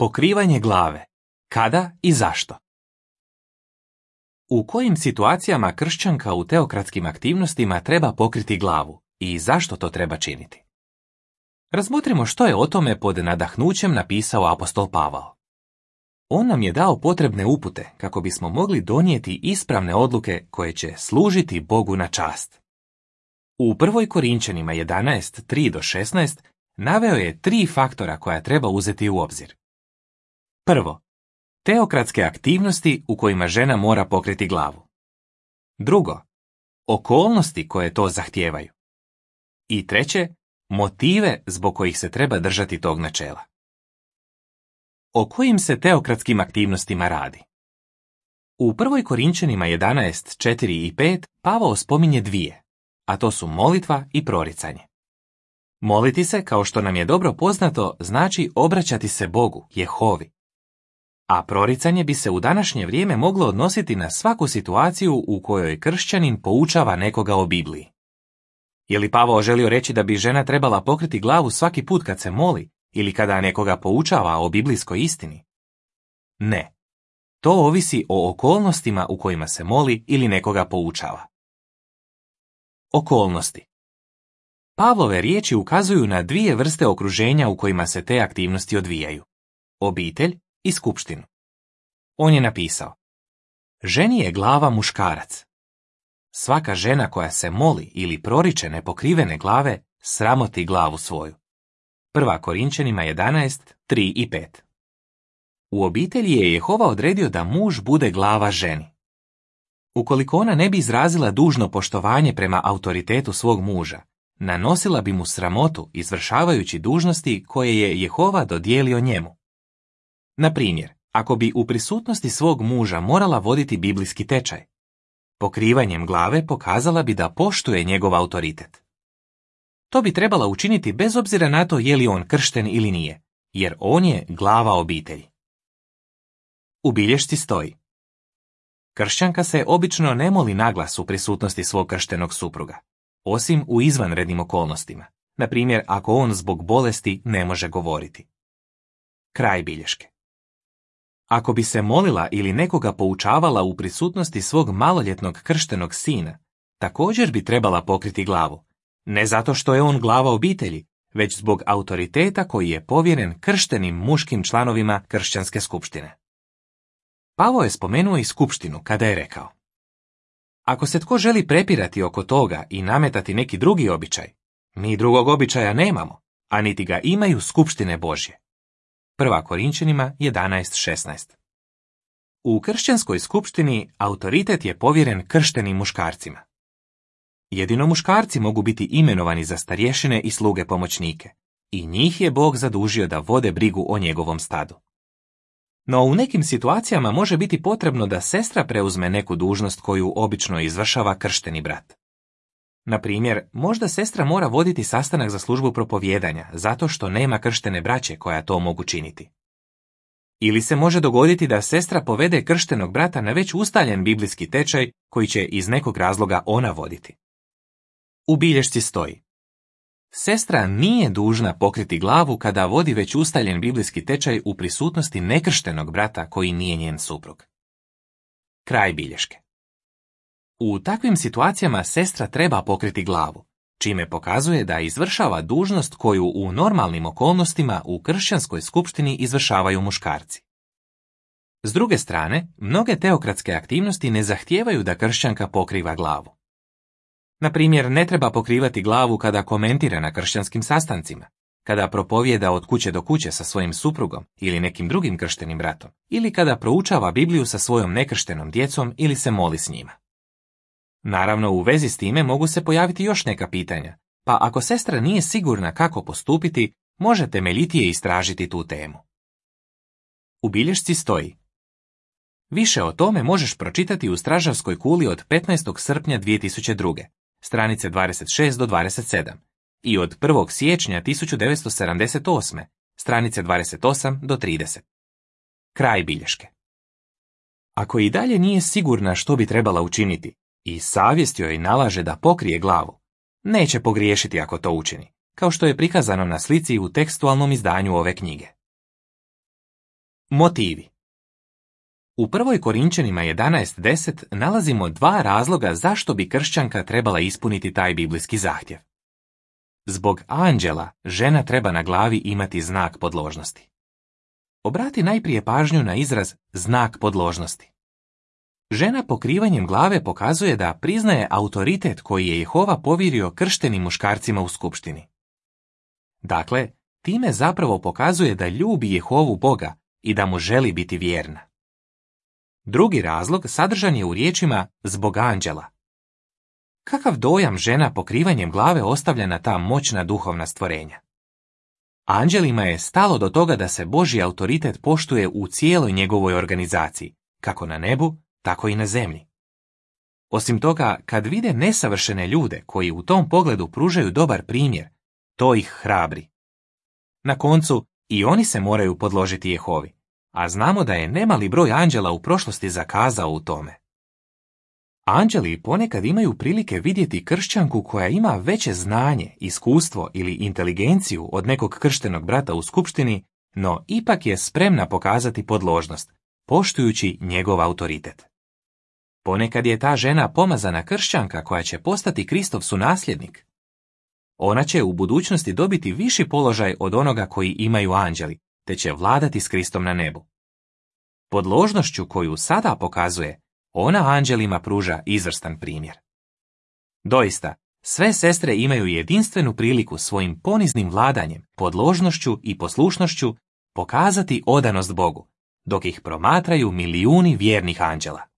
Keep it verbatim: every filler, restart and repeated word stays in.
Pokrivanje glave. Kada i zašto? U kojim situacijama kršćanka u teokratskim aktivnostima treba pokriti glavu i zašto to treba činiti? Razmotrimo što je o tome pod nadahnućem napisao apostol Pavao. On nam je dao potrebne upute kako bismo mogli donijeti ispravne odluke koje će služiti Bogu na čast. U prvoj Korinčanima jedanaest, tri do šesnaest naveo je tri faktora koja treba uzeti u obzir. Prvo, teokratske aktivnosti u kojima žena mora pokriti glavu. Drugo, okolnosti koje to zahtijevaju. I treće, motive zbog kojih se treba držati tog načela. O kojim se teokratskim aktivnostima radi? U prvoj Korinčanima jedanaest, četiri i pet Pavao spominje dvije, a to su molitva i proricanje. Moliti se, kao što nam je dobro poznato, znači obraćati se Bogu, Jehovi. A proricanje bi se u današnje vrijeme moglo odnositi na svaku situaciju u kojoj kršćanin poučava nekoga o Bibliji. Je li Pavao želio reći da bi žena trebala pokriti glavu svaki put kad se moli ili kada nekoga poučava o biblijskoj istini? Ne. To ovisi o okolnostima u kojima se moli ili nekoga poučava. Okolnosti. Pavlove riječi ukazuju na dvije vrste okruženja u kojima se te aktivnosti odvijaju. Obitelj i skupštinu. On je napisao: ženi je glava muškarac. Svaka žena koja se moli ili proriče nepokrivene glave sramoti glavu svoju. Prva Korinčanima jedanaest, tri i pet. U obitelji je Jehova odredio da muž bude glava ženi. Ukoliko ona ne bi izrazila dužno poštovanje prema autoritetu svog muža, nanosila bi mu sramotu izvršavajući dužnosti koje je Jehova dodijelio njemu. Na primjer, ako bi u prisutnosti svog muža morala voditi biblijski tečaj, pokrivanjem glave pokazala bi da poštuje njegov autoritet. To bi trebala učiniti bez obzira na to je li on kršten ili nije, jer on je glava obitelji. U bilješci stoji: kršćanka se obično ne moli naglas u prisutnosti svog krštenog supruga, osim u izvanrednim okolnostima, na primjer ako on zbog bolesti ne može govoriti. Kraj bilješke. Ako bi se molila ili nekoga poučavala u prisutnosti svog maloljetnog krštenog sina, također bi trebala pokriti glavu, ne zato što je on glava obitelji, već zbog autoriteta koji je povjeren krštenim muškim članovima kršćanske skupštine. Pavao je spomenuo i skupštinu kada je rekao: ako se tko želi prepirati oko toga i nametati neki drugi običaj, mi drugog običaja nemamo, a niti ga imaju skupštine Božje. Prva Korinčanima jedanaest, šesnaest. U kršćanskoj skupštini autoritet je povjeren krštenim muškarcima. Jedino muškarci mogu biti imenovani za starješine i sluge pomoćnike, i njih je Bog zadužio da vode brigu o njegovom stadu. No u nekim situacijama može biti potrebno da sestra preuzme neku dužnost koju obično izvršava kršteni brat. Na primjer, možda sestra mora voditi sastanak za službu propovijedanja zato što nema krštene braće koja to mogu činiti. Ili se može dogoditi da sestra povede krštenog brata na već ustaljen biblijski tečaj koji će iz nekog razloga ona voditi. U bilješci stoji: sestra nije dužna pokriti glavu kada vodi već ustaljen biblijski tečaj u prisutnosti nekrštenog brata koji nije njen suprug. Kraj bilješke. U takvim situacijama sestra treba pokriti glavu, čime pokazuje da izvršava dužnost koju u normalnim okolnostima u kršćanskoj skupštini izvršavaju muškarci. S druge strane, mnoge teokratske aktivnosti ne zahtijevaju da kršćanka pokriva glavu. Na primjer, ne treba pokrivati glavu kada komentira na kršćanskim sastancima, kada propovijeda od kuće do kuće sa svojim suprugom ili nekim drugim krštenim bratom, ili kada proučava Bibliju sa svojom nekrštenom djecom ili se moli s njima. Naravno, u vezi s time mogu se pojaviti još neka pitanja, pa ako sestra nije sigurna kako postupiti, može temeljitije istražiti tu temu. U bilješci stoji: više o tome možeš pročitati u Stražarskoj kuli od petnaestog srpnja dvije tisuće druge, stranice dvadeset šest do dvadeset sedam, i od prvog siječnja tisuću devetsto sedamdeset osme, stranice dvadeset osam do trideset. Kraj bilješke. Ako i dalje nije sigurna što bi trebala učiniti i savjest joj nalaže da pokrije glavu, neće pogriješiti ako to učini, kao što je prikazano na slici u tekstualnom izdanju ove knjige. Motivi. U prvoj Korinčanima jedanaest deset nalazimo dva razloga zašto bi kršćanka trebala ispuniti taj biblijski zahtjev. Zbog anđela žena treba na glavi imati znak podložnosti. Obrati najprije pažnju na izraz znak podložnosti. Žena pokrivanjem glave pokazuje da priznaje autoritet koji je Jehova povjerio krštenim muškarcima u skupštini. Dakle, time zapravo pokazuje da ljubi Jehovu Boga i da mu želi biti vjerna. Drugi razlog sadržan je u riječima zbog anđela. Kakav dojam žena pokrivanjem glave ostavlja na ta moćna duhovna stvorenja? Anđelima je stalo do toga da se Božji autoritet poštuje u cijeloj njegovoj organizaciji, kako na nebu, tako i na zemlji. Osim toga, kad vide nesavršene ljude koji u tom pogledu pružaju dobar primjer, to ih hrabri. Na koncu, i oni se moraju podložiti Jehovi, a znamo da je nemali broj anđela u prošlosti zakazao u tome. Anđeli ponekad imaju prilike vidjeti kršćanku koja ima veće znanje, iskustvo ili inteligenciju od nekog krštenog brata u skupštini, no ipak je spremna pokazati podložnost, poštujući njegov autoritet. Ponekad je ta žena pomazana kršćanka koja će postati Kristov sunasljednik. Ona će u budućnosti dobiti viši položaj od onoga koji imaju anđeli, te će vladati s Kristom na nebu. Podložnošću koju sada pokazuje, ona anđelima pruža izvrstan primjer. Doista, sve sestre imaju jedinstvenu priliku svojim poniznim vladanjem, podložnošću i poslušnošću pokazati odanost Bogu, dok ih promatraju milijuni vjernih anđela.